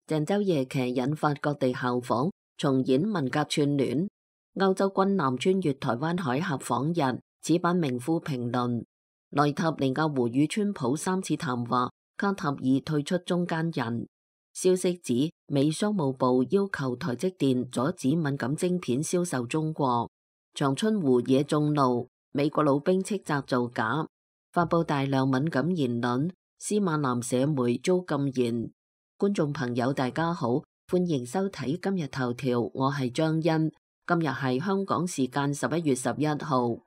鄭州夜騎引發各地效仿，重演文革串聯。歐洲軍艦穿越台灣海峽訪日，此版名夫評論。內塔尼亞胡與川普3次談話，卡塔爾退出中間人。消息指美商務部要求台積電阻止敏感晶片銷售中國。長春湖惹眾怒，美國老兵斥責造假，發佈大量敏感言論。司馬南社媒遭禁言。觀眾朋友大家好，歡迎收睇今日頭條，我係張欣。今日係香港時間11月11號。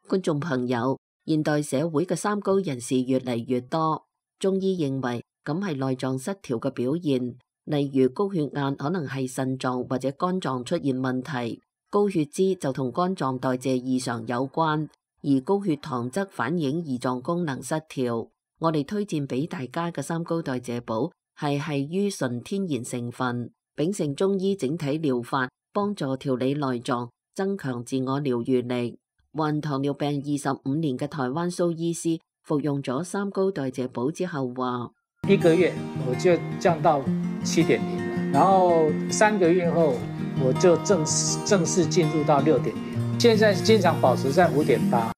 觀眾朋友，現代社會嘅三高人士越嚟越多，中醫認為咁係內臟失調嘅表現，例如高血壓可能係腎臟或者肝臟出現問題，高血脂就同肝臟代謝異常有關，而高血糖則反映胰臟功能失調。我哋推薦俾大家嘅三高代謝寶係於純天然成分，秉承中醫整體療法，幫助調理內臟，增強自我療愈力。患糖尿病25年嘅台灣蘇醫師服用咗三高代謝寶之後話：1個月我就降到7.0了，然後3個月後我就正式進入到6.0，現在經常保持在5.8。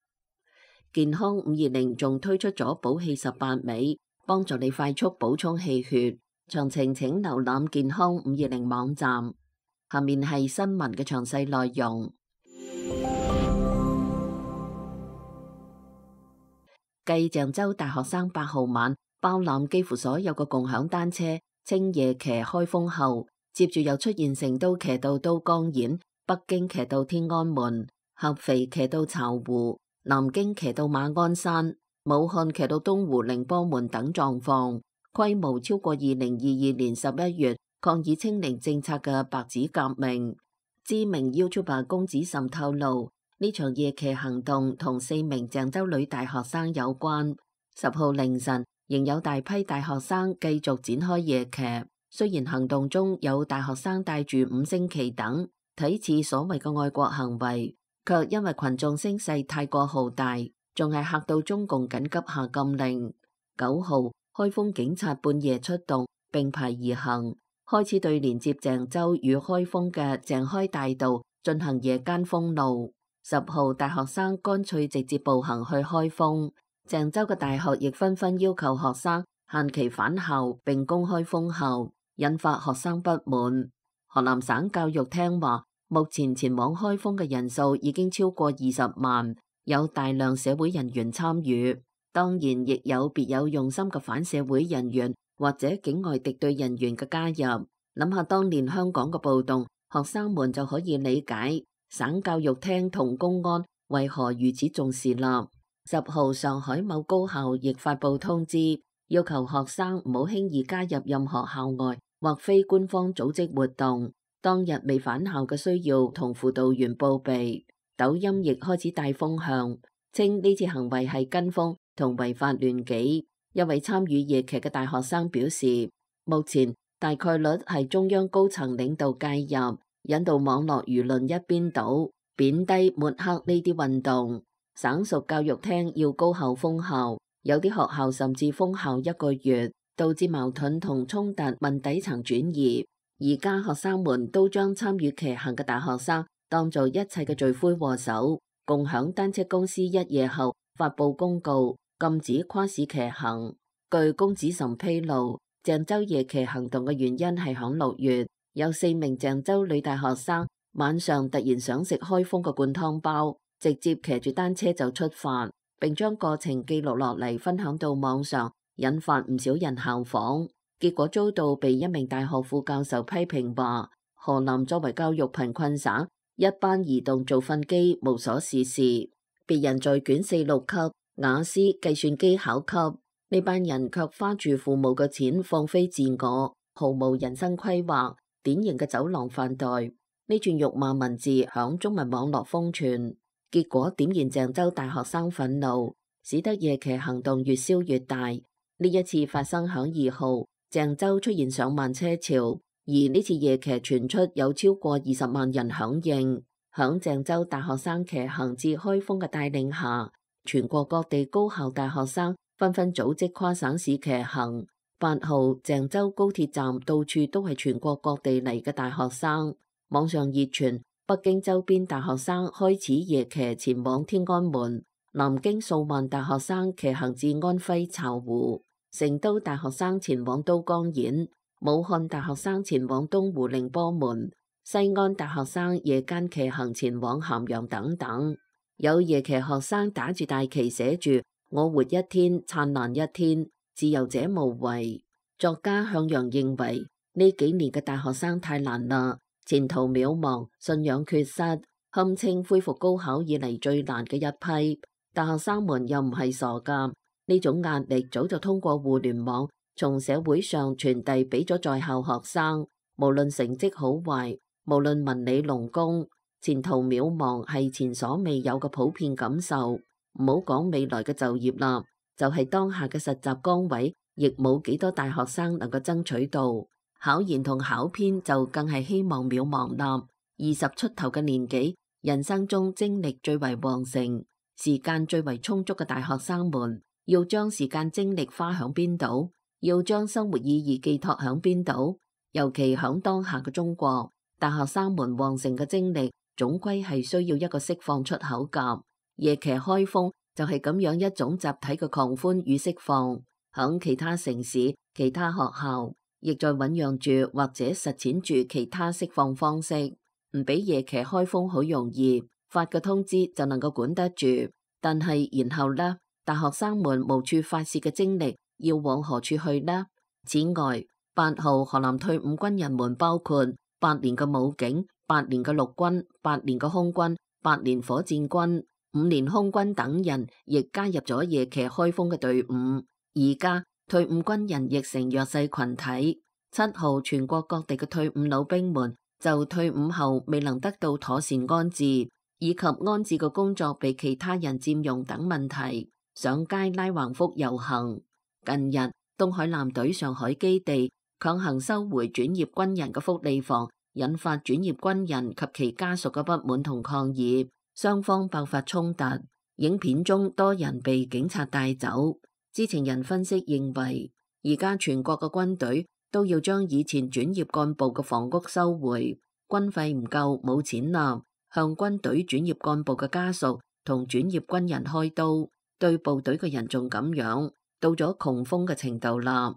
健康520仲推出咗補氣18味，幫助你快速補充氣血。詳情請瀏覽健康520網站。下面係新聞嘅詳細內容。繼鄭州大學生8號晚包攬幾乎所有嘅共享單車稱夜騎開封後，接住又出現成都騎到都江堰、北京騎到天安門、合肥騎到巢湖、南京騎到馬鞍山、武漢騎到東湖寧波門等狀況，規模超過2022年11月抗議清零政策嘅白紙革命。知名 YouTuber 公子岑透露，呢場夜騎行動同4名鄭州女大學生有關。10號凌晨仍有大批大學生繼續展開夜騎，雖然行動中有大學生帶住5星旗等，睇似所謂嘅愛國行為，卻因為群眾聲勢太過浩大，仲係嚇到中共緊急下禁令。9號，開封警察半夜出動，並排而行，開始對連接鄭州與開封嘅鄭開大道進行夜間封路。10號，大學生乾脆直接步行去開封。鄭州嘅大學亦紛紛要求學生限期返校並公開封校，引發學生不滿。河南省教育廳話，目前前往開封嘅人數已經超過20萬，有大量社會人員參與，當然亦有別有用心嘅反社會人員或者境外敵對人員嘅加入。諗下當年香港嘅暴動，學生們就可以理解省教育廳同公安為何如此重視啦。10號，上海某高校亦發布通知，要求學生唔好輕易加入任何校外或非官方組織活動。當日未返校嘅需要同輔導員報備。抖音亦開始帶風向，稱呢次行為係跟風同違法亂紀。一位參與夜騎嘅大學生表示，目前大概率係中央高層領導介入，引導網絡輿論一邊倒，貶低抹黑呢啲運動。省屬教育廳要高校封校，有啲學校甚至封校1個月，導致矛盾同衝突問底層轉移。而家學生們都將參與騎行嘅大學生當做一切嘅罪魁禍首。共享單車公司1夜後發布公告，禁止跨市騎行。據公子岑披露，鄭州夜騎行動嘅原因係響6月，有4名鄭州女大學生晚上突然想食開封嘅灌湯包，直接騎住單車就出發，並將過程記錄落嚟分享到網上，引發唔少人效仿。結果遭到被一名大學副教授批評話，河南作為教育貧困省，一班移動造糞機無所事事，別人在卷4、6級雅思計算機考級，呢班人卻花住父母嘅錢放飛自我，毫無人生規劃，典型嘅走廊飯袋。呢串辱罵文字響中文網絡瘋傳，結果點燃鄭州大學生憤怒，使得夜騎行動越燒越大。呢一次發生響2號，鄭州出現上萬車潮，而呢次夜騎傳出有超過20萬人響應。響鄭州大學生騎行至開封嘅帶領下，全國各地高校大學生紛紛組織跨省市騎行。8號，鄭州高鐵站到處都係全國各地嚟嘅大學生，網上熱傳北京周邊大學生開始夜騎前往天安門，南京數萬大學生騎行至安徽巢湖，成都大學生前往都江堰，武漢大學生前往東湖寧波門，西安大學生夜間騎行前往咸陽等等。有夜騎學生打住大旗寫住我活一天燦爛一天，自由者無畏。作家向陽認為呢幾年嘅大學生太難啦，前途渺茫，信仰缺失，堪稱恢復高考以嚟最難嘅一批。大學生們又唔係傻噶，呢種壓力早就通過互聯網從社會上傳遞俾咗在校學生，無論成績好壞，無論文理農工，前途渺茫係前所未有嘅普遍感受。唔好講未來嘅就業啦，就係當下嘅實習崗位，亦冇幾多大學生能夠爭取到。考研同考編就更係希望渺茫啦。20出頭嘅年紀，人生中精力最為旺盛，時間最為充足嘅大學生們，要將時間精力花響邊度？要將生活意義寄託響邊度？尤其響當下嘅中國，大學生們旺盛嘅精力，總歸係需要一個釋放出口㗎。夜騎開封就係咁樣一種集體嘅狂歡與釋放。響其他城市、其他學校，亦在醞釀住或者實踐住其他釋放方式。唔俾夜騎開封好容易，發個通知就能夠管得住。但係然後呢，大學生們無處發洩嘅精力要往何處去呢？此外，8號河南退伍軍人們包括8年嘅武警、8年嘅陸軍、8年嘅空軍、8年火箭軍、5年空軍等人，亦加入咗夜騎開封嘅隊伍。而家退伍軍人亦成弱勢群體。7號全國各地嘅退伍老兵們就退伍後未能得到妥善安置，以及安置嘅工作被其他人佔用等問題，上街拉橫幅遊行。近日東海艦隊上海基地強行收回轉業軍人嘅福利房，引發轉業軍人及其家屬嘅不滿同抗議，雙方爆發衝突。影片中多人被警察帶走。知情人分析認為，而家全國嘅軍隊都要將以前轉業幹部嘅房屋收回，軍費唔夠冇錢啦，向軍隊轉業幹部嘅家屬同轉業軍人開刀，對部隊嘅人仲咁樣，到咗窮瘋嘅程度啦。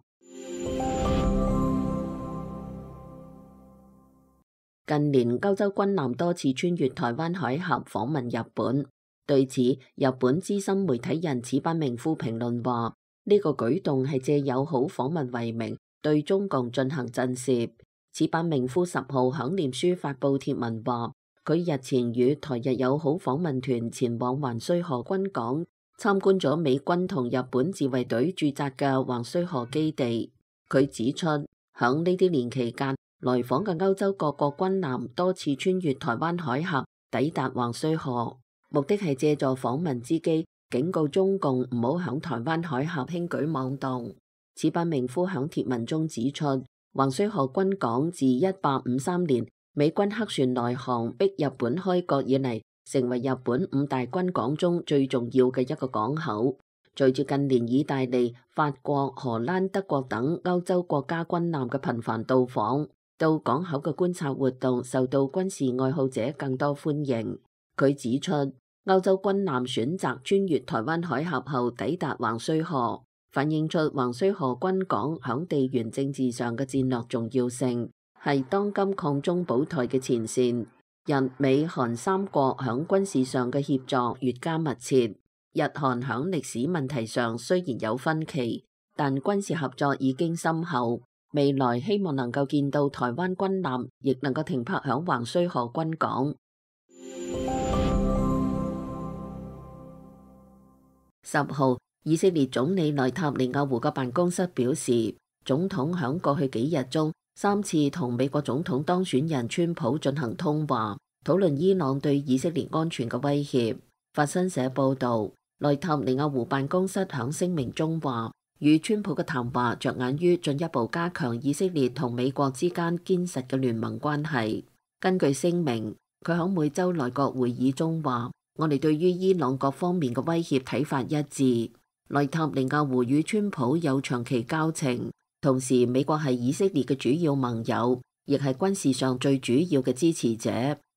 近年歐洲軍艦多次穿越台灣海峽訪問日本，對此日本資深媒體人矢板明夫評論話，呢個舉動係借友好訪問為名對中共進行震懾。矢板明夫10號響臉書發布貼文話，佢日前與台日友好訪問團前往橫須賀軍港參觀咗美軍同日本自衛隊駐紮嘅橫須賀基地。佢指出，響呢啲年期間來訪嘅歐洲各國軍艦多次穿越台灣海峽抵達橫須賀，目的係借助訪問之機警告中共唔好響台灣海峽輕舉妄動。矢板明夫響貼文中指出，橫須賀軍港自1853年美軍黑船來航逼日本開國以嚟，成為日本5大軍港中最重要嘅一個港口。隨住近年意大利、法國、荷蘭、德國等歐洲國家軍艦嘅頻繁到訪，到港口嘅觀察活動受到軍事愛好者更多歡迎。佢指出，歐洲軍艦選擇穿越台灣海峽後抵達橫須賀，反映出橫須賀軍港響地緣政治上嘅戰略重要性，係當今抗中保台嘅前線。日美韓3國響軍事上嘅協作越加密切，日韓響歷史問題上雖然有分歧，但軍事合作已經深厚。未來希望能夠見到台灣軍艦亦能夠停泊響橫須賀軍港。10號，以色列總理內塔尼亞胡嘅辦公室表示，總統響過去幾日中3次同美國總統當選人川普進行通話，討論伊朗對以色列安全嘅威脅。法新社報導，內塔尼亞胡辦公室響聲明中話，與川普嘅談話着眼於進一步加強以色列同美國之間堅實嘅聯盟關係。根據聲明，佢響每週內閣會議中話，我哋對於伊朗各方面嘅威脅睇法一致。內塔尼亞胡與川普有長期交情，同時美國係以色列嘅主要盟友，亦係軍事上最主要嘅支持者。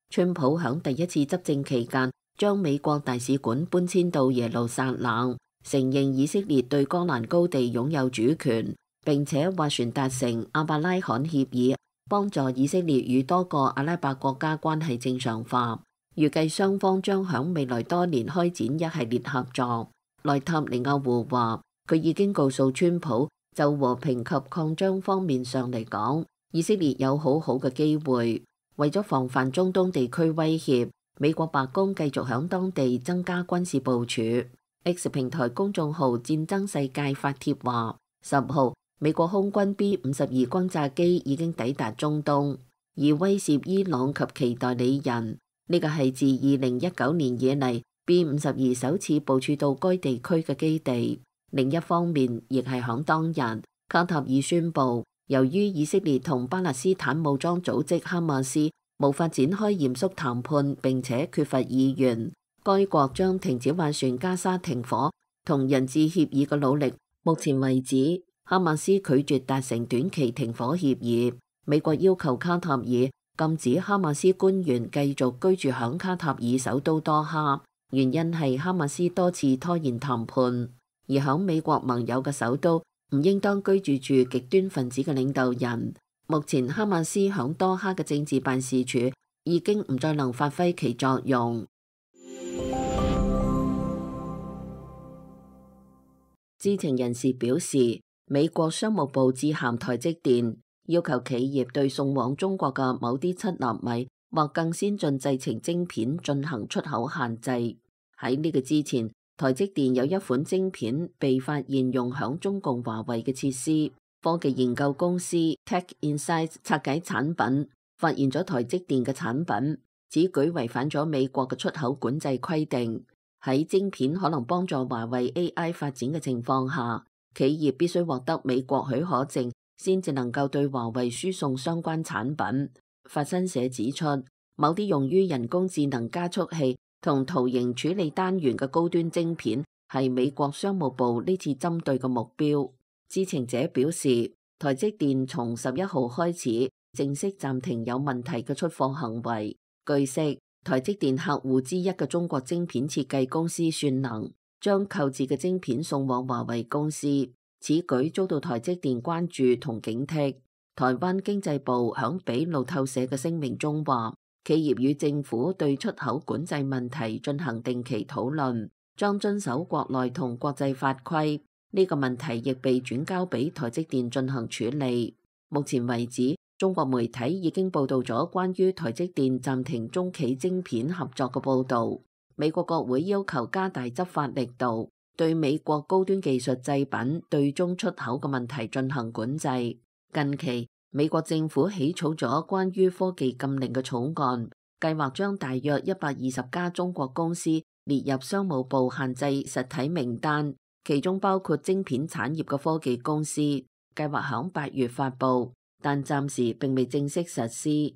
川普響第一次執政期間，將美國大使館搬遷到耶路撒冷，承認以色列對戈蘭高地擁有主權，並且斡旋達成亞伯拉罕協議，幫助以色列與多個阿拉伯國家關係正常化。預計雙方將響未來多年開展一系列合作。內塔尼亞胡話，佢已經告訴川普，就和平及擴張方面上嚟講，以色列有好好嘅機會。為咗防範中東地區威脅，美國白宮繼續響當地增加軍事部署。X 平台公眾號戰爭世界發帖話，10號美國空軍 B-52轟炸機已經抵達中東，而威懾伊朗及其代理人。呢個係自2019年以嚟 B-52首次部署到該地區嘅基地。另一方面，亦係響當日，卡塔爾宣布，由於以色列同巴勒斯坦武裝組織哈馬斯無法展開嚴肅談判，並且缺乏意願，該國將停止斡旋加沙停火同人質協議嘅努力。目前為止，哈馬斯拒絕達成短期停火協議。美國要求卡塔爾禁止哈馬斯官員繼續居住響卡塔爾首都多哈，原因係哈馬斯多次拖延談判，而響美國盟友嘅首都唔應當居住住極端分子嘅領導人。目前哈馬斯響多哈嘅政治辦事處已經唔再能發揮其作用。知情人士表示，美國商務部致函台積電，要求企業對送往中國嘅某啲7納米或更先進製程晶片進行出口限制。喺呢個之前，台積電有一款晶片被發現用響中共華為嘅設施，科技研究公司 Tech Insights 拆解產品，發現咗台積電嘅產品，此舉違反咗美國嘅出口管制規定。喺晶片可能幫助華為 AI 發展嘅情況下，企業必須獲得美國許可證，先至能夠對華為輸送相關產品。法新社指出，某啲用於人工智能加速器同圖形處理單元嘅高端晶片係美國商務部呢次針對嘅目標。知情者表示，台積電從11號開始正式暫停有問題嘅出貨行為。據悉，台積電客戶之一嘅中國晶片設計公司算能將購置嘅晶片送往華為公司，此舉遭到台積電關注同警惕。台灣經濟部響俾路透社嘅聲明中話，企業與政府對出口管制問題進行定期討論，將遵守國內同國際法規。呢個問題亦被轉交俾台積電進行處理。目前為止，中國媒體已經報道咗關於台積電暫停中企晶片合作嘅報道。美國國會要求加大執法力度，對美國高端技術製品對中出口嘅問題進行管制。近期，美國政府起草咗關於科技禁令嘅草案，計劃將大約120家中國公司列入商務部限制實體名單，其中包括晶片產業嘅科技公司。計劃響8月發布，但暫時並未正式實施。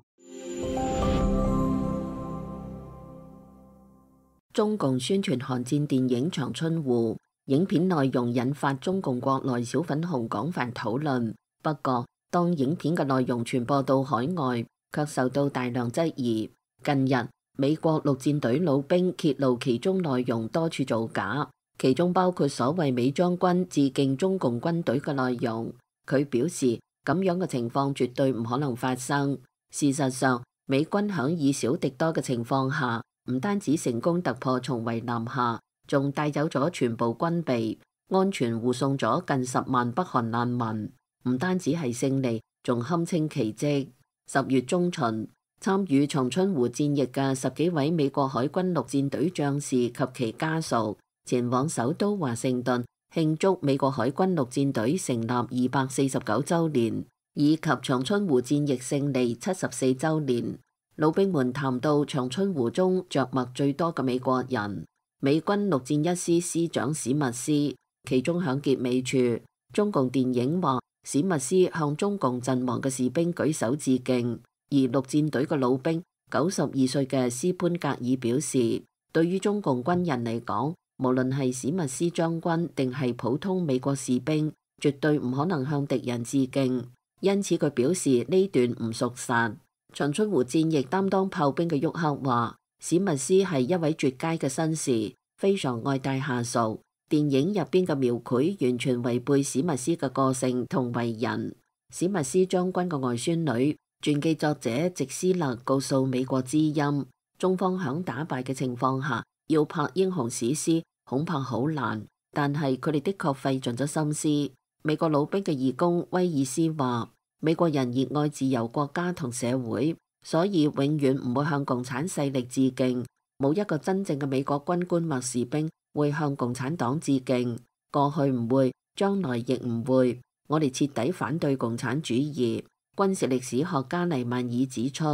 中共宣傳韓戰電影《長春湖》，影片內容引發中共國內小粉紅廣泛討論。不過，當影片嘅內容傳播到海外，卻受到大量質疑。近日，美國陸戰隊老兵揭露其中內容多處造假，其中包括所謂美將軍致敬中共軍隊嘅內容。佢表示，咁樣嘅情況絕對唔可能發生。事實上，美軍響以少敵多嘅情況下，唔單止成功突破重圍南下，仲帶走咗全部軍備，安全護送咗近10萬北韓難民。唔單止係勝利，仲堪稱奇蹟。10月中旬，參與長春湖戰役嘅10幾位美國海軍陸戰隊將士及其家屬前往首都華盛頓慶祝美國海軍陸戰隊成立249週年，以及長春湖戰役勝利74週年。老兵們談到長春湖中着墨最多嘅美國人，美軍陸戰一師師長史密斯，其中響結尾處，中共電影話史密斯向中共陣亡嘅士兵舉手致敬，而陸戰隊嘅老兵92歲嘅斯潘格爾表示，對於中共軍人嚟講，無論係史密斯將軍定係普通美國士兵，絕對唔可能向敵人致敬。因此佢表示呢段唔屬實。長春湖戰役擔當炮兵嘅沃克話：史密斯係一位絕佳嘅紳士，非常愛戴下屬。電影入邊嘅描繪完全違背史密斯嘅個性同為人。史密斯將軍嘅外孫女傳記作者席斯勒告訴美國之音，中方響打敗嘅情況下要拍英雄史詩恐怕好難，但係佢哋的確費盡咗心思。美國老兵嘅義工威爾斯話：美國人熱愛自由國家同社會，所以永遠唔會向共產勢力致敬。冇一個真正嘅美國軍官或士兵會向共產黨致敬，過去唔會，將來亦唔會。我哋徹底反對共產主義。軍事歷史學家黎曼爾指出，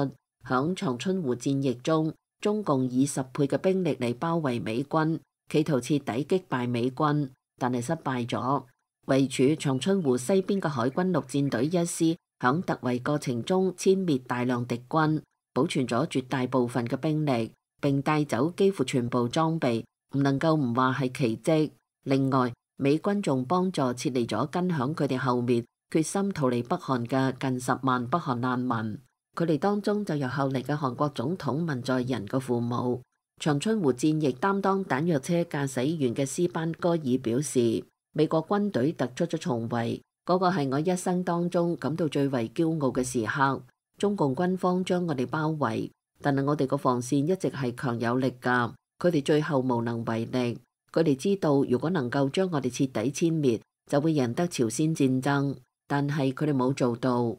響長春湖戰役中，中共以10倍嘅兵力嚟包圍美軍，企圖徹底擊敗美軍，但係失敗咗。位處長春湖西邊嘅海軍陸戰隊一師響突圍過程中殲滅大量敵軍，保存咗絕大部分嘅兵力，並帶走幾乎全部裝備，唔能夠唔話係奇蹟。另外，美軍仲幫助撤離咗跟響佢哋後面決心逃離北韓嘅近10萬北韓難民，佢哋當中就有後嚟嘅韓國總統文在寅嘅父母。長春湖戰役擔當彈藥車駕駛員嘅斯班戈爾表示：美國軍隊突出咗重圍，嗰個係我一生當中感到最為驕傲嘅時刻。中共軍方將我哋包圍，但係我哋個防線一直係強有力㗎，佢哋最後無能為力。佢哋知道如果能夠將我哋徹底殲滅，就會贏得朝鮮戰爭，但係佢哋冇做到。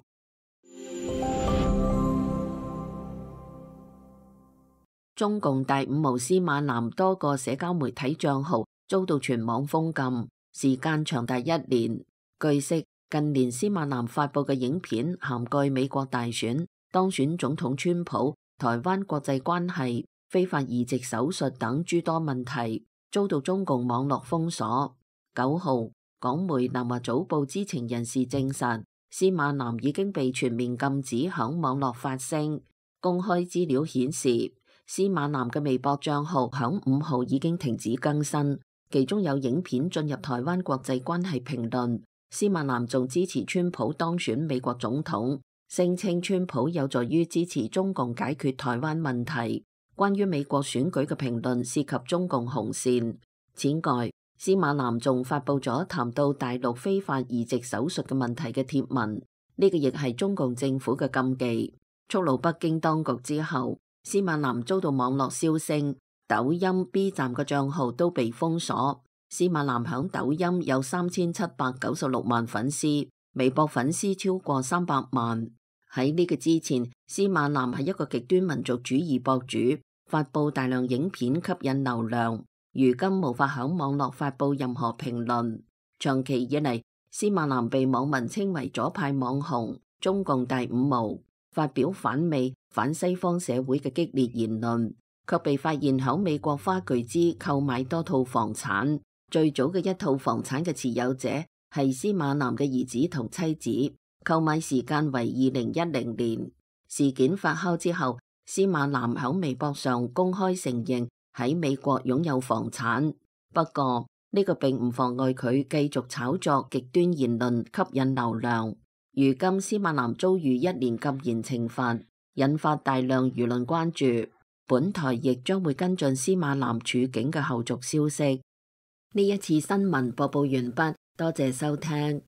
中共第5毛司馬南多個社交媒體帳號遭到全網封禁，時間長達1年。據悉，近年司馬南發布嘅影片涵蓋美國大選、當選總統川普、台灣國際關係、非法移植手術等諸多問題，遭到中共網絡封鎖。9號，港媒南華早報知情人士證實，司馬南已經被全面禁止響網絡發聲。公開資料顯示，司馬南嘅微博帳號響5號已經停止更新，其中有影片進入台灣國際關係評論。司馬南仲支持川普當選美國總統，聲稱川普有助於支持中共解決台灣問題。關於美國選舉嘅評論涉及中共紅線。此外，司馬南仲發布咗談到大陸非法移植手術嘅問題嘅貼文，呢個亦係中共政府嘅禁忌。觸怒北京當局之後，司馬南遭到網絡燒聲，抖音、B 站嘅帳號都被封鎖。司馬南響抖音有3796萬粉絲，微博粉絲超過300萬。喺呢個之前，司馬南係一個極端民族主義博主，發布大量影片吸引流量。如今無法響網絡發布任何評論。長期以嚟，司馬南被網民稱為左派網紅、中共第5毛，發表反美、反西方社會嘅激烈言論，卻被發現響美國花巨資購買多套房產。最早嘅一套房產嘅持有者係司馬南嘅兒子同妻子，購買時間為2010年。事件發酵之後，司馬南響微博上公開承認喺美國擁有房產，不過呢個並唔妨礙佢繼續炒作極端言論吸引流量。如今司馬南遭遇1年禁言懲罰，引發大量輿論關注。本台亦將會跟進司馬南處境嘅後續消息。呢一次新聞播報完畢，多謝收聽。